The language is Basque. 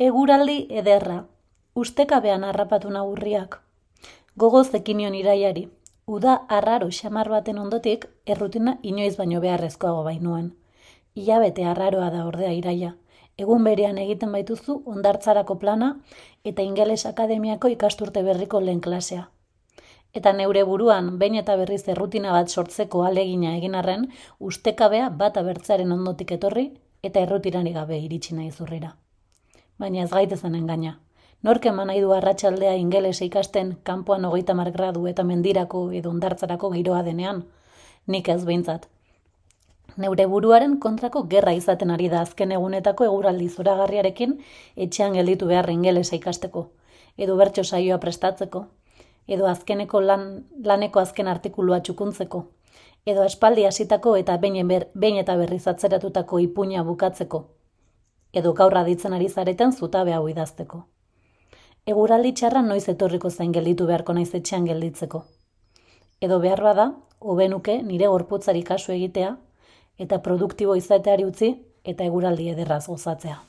Eguraldi ederra, ustekabean harrapatu nagurriak. Gogoz ekinion iraiari, uda arraro xamar baten ondotik errutina inoiz baino beharrezkoago bainuen. Hilabete arraroa da ordea iraia, egun berean egiten baituzu hondartzarako plana eta ingeles akademiako ikasturte berriko lehen klasea. Eta neure buruan, behin eta berriz errutina bat sortzeko alegina egin arren, ustekabea bat abertzearen ondotik etorri eta errutirarik gabe iritsi nahi zurrera. Baina ez gaitezen engaina. Nork eman nahi du arratsaldea ingelesa ikasten kanpoan 30 gradu eta mendirako edo hondartzarako giroa denean? Nik ez behintzat. Neure buruaren kontrako gerra izaten ari da azken egunetako eguraldi zoragarriarekin etxean gelditu behar ingelesa ikasteko, edo bertso saioa prestatzeko, edo azkeneko laneko azken artikulua txukuntzeko, edo espaldi hasitako eta behin eta berriz atzeratutako ipuina bukatzeko, edo gaur aditzen ari zareten zutabe hau idazteko. Eguraldi txarra noiz etorriko zain gelditu beharko naiz etxean gelditzeko. Edo behar bada, hobenuke nire gorputzari kasu egitea, eta produktibo izateari utzi eta eguraldi ederraz gozatzea.